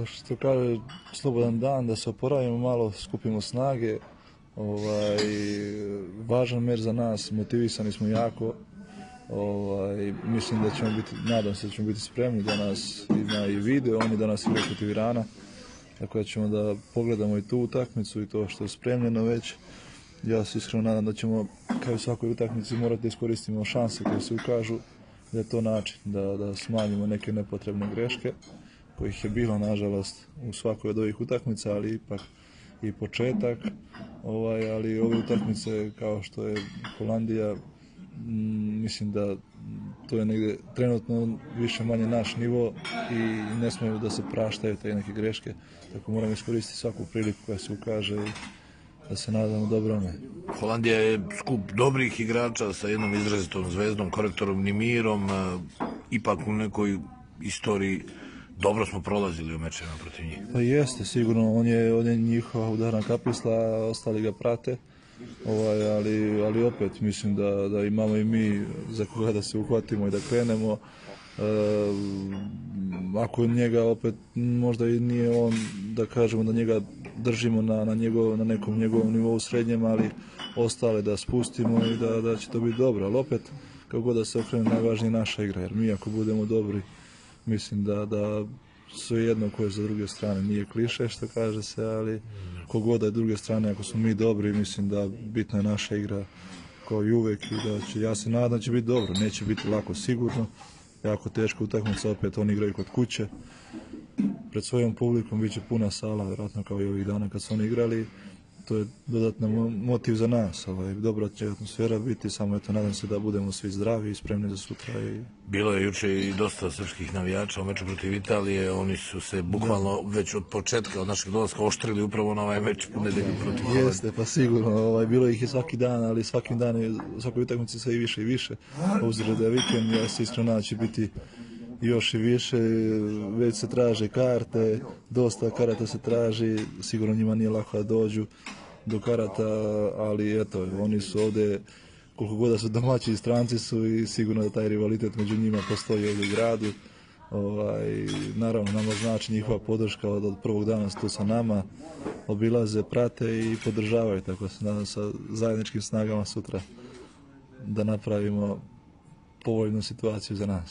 Što kaže, slobodan dan, da se oporavimo malo, skupimo snage. Važan meč za nas, motivisani smo jako. Mislim da ćemo biti, nadam se da ćemo biti spremni, da nas ima i video, oni danas igraju protiv Irana. Tako da ćemo da pogledamo i tu utakmicu i to što je spremljeno već. Ja se iskreno nadam da ćemo, kao i u svakoj utakmici, morati da iskoristimo šanse koje se ukažu, da je to način da smanjimo neke nepotrebne greške, kojih je bilo, nažalost, u svakoj od ovih utakmica, ali ipak i početak. Ali ove utakmice, kao što je Holandija, mislim da to je negde trenutno više manje naš nivo i ne smiju da se praštaju te neke greške, tako moramo iskoristiti svaku priliku koja se ukaže i da se nadamo dobrome. Holandija je skup dobrih igrača sa jednom izrazitom zvezdom, korektorom Nimirom, ipak u nekoj istoriji dobro smo prolazili u mečevima protiv njih. Pa jeste, sigurno, on je njihova udarna kapisla, ostali ga prate, ali opet mislim da imamo i mi za koga da se uhvatimo i da krenemo. Ako njega opet možda i nije on, da kažemo da njega držimo na nekom njegovom nivou srednjem, ali ostale da spustimo i da će to biti dobro. Ali opet, kako god da se okrene, najvažnije naša igra, jer mi ako budemo dobri, mislim da sve jedno koje je za druge strane, nije kliše što kaže se, ali kogod da je druge strane, ako smo mi dobri, mislim da bitna je naša igra kao i uvek i da će, ja se nadam da će biti dobro, neće biti lako sigurno, jako teško utakmica, opet oni igraju kod kuće, pred svojom publikom bit će puna sala, vjerojatno kao i ovih dana kad su oni igrali, to je dodatni motiv za nas, dobra će atmosfera biti, samo eto nadam se da budemo svi zdravi i spremni za sutra. Bilo je juče i dosta srpskih navijača u meču protiv Italije, oni su se bukvalno već od početka, od našeg dolaska oštrili upravo na ovaj meč u nedelju protiv Holandije. Jeste, pa sigurno, bilo ih je svaki dan, ali svakim danom, svakoj utakmici sve i više i više, obzirom da je vikend, ja se iskreno nadam će biti još i više, već se traže karte, dosta karata se traži, sigurno njima nije lako da dođu do karata, ali eto, oni su ovde, koliko god da su domaći i stranci su i sigurno da taj rivalitet među njima postoji ovdje u gradu. Naravno, nama znači njihova podrška od prvog dana su tu sa nama, obilaze, prate i podržavaju, tako se nadam sa zajedničkim snagama sutra da napravimo povoljnu situaciju za nas.